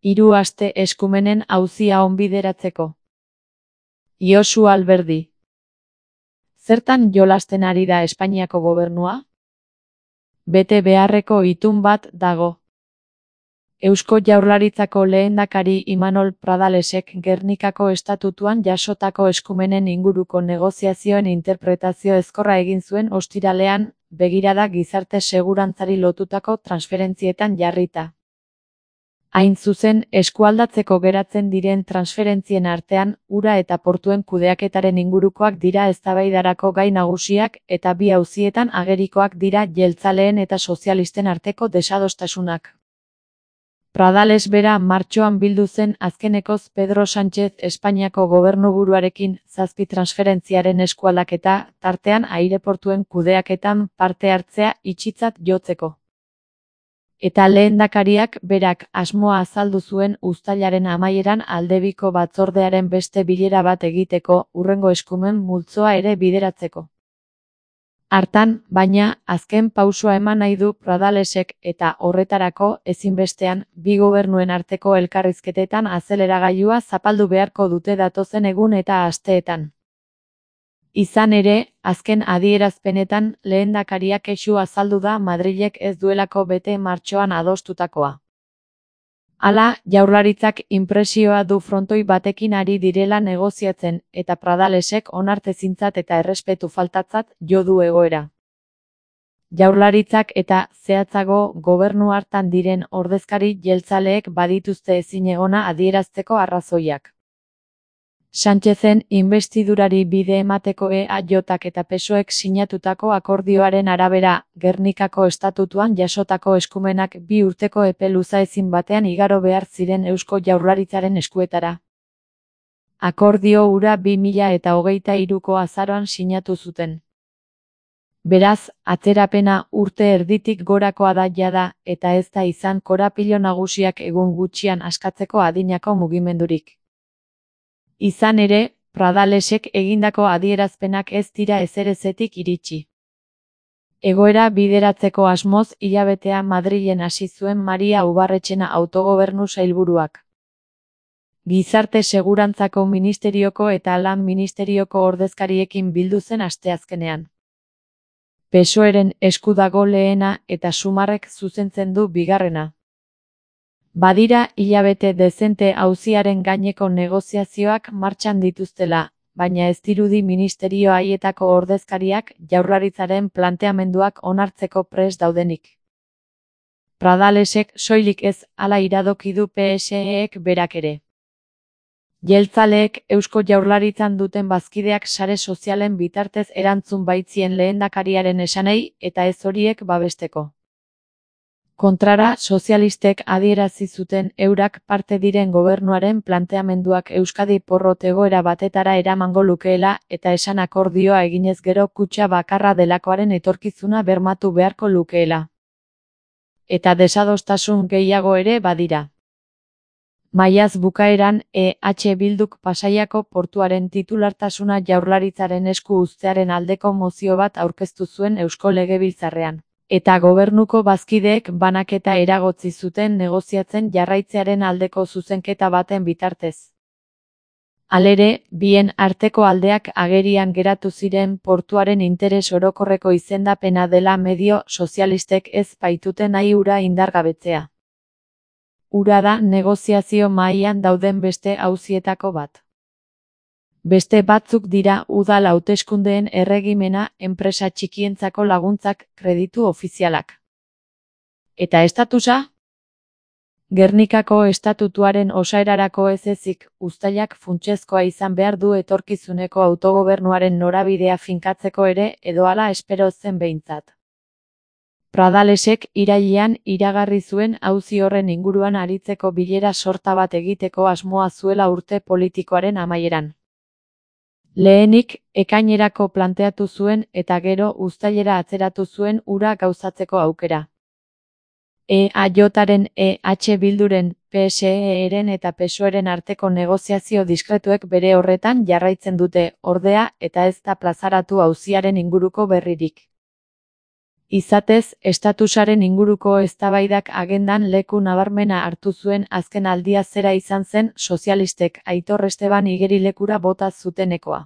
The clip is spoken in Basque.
3 aste eskumenen auzia onbideratzeko. Josu Alberdi. Zertan jolasten ari da Espainiako gobernua? Bete beharreko itun bat dago. Eusko Jaurlaritzako lehendakari Imanol Pradalesek Gernikako estatutuan jasotako eskumenen inguruko negoziazioen interpretazio ezkorra egin zuen ostiralean, begirada gizarte segurantzari lotutako transferentzietan jarrita. Hain zuzen, eskualdatzeko geratzen diren transferentzien artean, ura eta portuen kudeaketaren ingurukoak dira eztabaidarako gai nagusiak eta bi auzietan agerikoak dira jeltzaleen eta sozialisten arteko desadostasunak. Pradales bera martxoan bildu zen azkenekoz Pedro Sánchez Espainiako gobernuburuarekin 7 transferentziaren eskualdaketa, tartean aireportuen kudeaketan parte hartzea itxitzat jotzeko. Eta lehendakariak berak asmoa azaldu zuen uztailaren amaieran aldebiko batzordearen beste bilera bat egiteko, hurrengo eskumen multzoa ere bideratzeko. Hartan, baina, azken pausua eman nahi du Pradalesek eta horretarako, ezinbestean, bi gobernuen arteko elkarrizketetan azeleragailua zapaldu beharko dute datozen egun eta asteetan. Izan ere, azken adierazpenetan lehendakariak kexu azaldu da Madrilek ez duelako bete martxoan adostutakoa. Hala, Jaurlaritzak inpresioa du frontoi batekin ari direla negoziatzen eta Pradalesek onartezintzat eta errespetu faltatzat jo du egoera. Jaurlaritzak eta, zehatzago, gobernu hartan diren ordezkari jeltzaleek badituzte ezinegona adierazteko arrazoiak. Sánchezen inbestidurari bide emateko EAJak eta PSOEk sinatutako akordioaren arabera, Gernikako estatutuan jasotako eskumenak 2 urteko epe luzaezin batean igaro behar ziren Eusko Jaurlaritzaren eskuetara. Akordio hura 2023ko azaroan sinatu zuten. Beraz, atzerapena urte erditik gorakoa da jada, eta ez da izan korapilo nagusiak egun gutxian askatzeko adinako mugimendurik. Izan ere, Pradalesek egindako adierazpenak ez dira ezerezetik iritsi. Egoera bideratzeko asmoz hilabetea Madrilen hasi zuen Maria Ubarretxena autogobernu sailburuak. Gizarte Segurantzako Ministerioko eta Lan Ministerioko ordezkariekin bildu zen asteazkenean. PSOEren esku dago lehena eta Sumarrek zuzentzen du bigarrena. Badira hilabete dezente auziaren gaineko negoziazioak martxan dituztela, baina ez dirudi ministerio haietako ordezkariak Jaurlaritzaren planteamenduak onartzeko prest daudenik. Pradalesek soilik ez hala iradoki du PSEek berak ere. Jeltzaleek Eusko Jaurlaritzan duten bazkideak sare sozialen bitartez erantzun baitzien lehendakariaren esanei eta ez horiek babesteko. Kontrara, sozialistek adierazi zuten eurak parte diren gobernuaren planteamenduak Euskadi porrot egoera batetara eramango lukeela eta esan akordioa eginez gero kutxa bakarra delakoaren etorkizuna bermatu beharko lukeela. Eta desadostasun gehiago ere badira. Maiaz bukaeran, EH Bilduk Pasaiako portuaren titulartasuna Jaurlaritzaren esku uztearen aldeko mozio bat aurkeztu zuen Eusko Legebiltzarrean. Eta gobernuko bazkideek banaketa eragotzi zuten negoziatzen jarraitzearen aldeko zuzenketa baten bitartez. Halere, bien arteko aldeak agerian geratu ziren portuaren interes orokorreko izendapena dela medio sozialistek ez baitute nahi ura indargabetzea. Ura da negoziazio mahaian dauden beste auzietako bat. Beste batzuk dira udal hauteskundeen erregimena, enpresa txikientzako laguntzak, kreditu ofizialak. Eta estatusa? Gernikako estatutuaren osaerarako ez ezik, uztailak funtsezkoa izan behar du etorkizuneko autogobernuaren norabidea finkatzeko ere edo hala espero zen behintzat. Pradalesek irailean iragarri zuen auzi horren inguruan aritzeko bilera sorta bat egiteko asmoa zuela urte politikoaren amaieran. Lehenik, ekainerako planteatu zuen eta gero uztailera atzeratu zuen ura gauzatzeko aukera. EAJaren, EH Bilduren, PSEren eta PSOEren arteko negoziazio diskretuek bere horretan jarraitzen dute, ordea, eta ez da plazaratu auziaren inguruko berririk. Izatez, estatusaren inguruko eztabaidak agendan leku nabarmena hartu zuen azken aldia zera izan zen sozialistek Aitor Esteban igerilekura bota zutenekoa.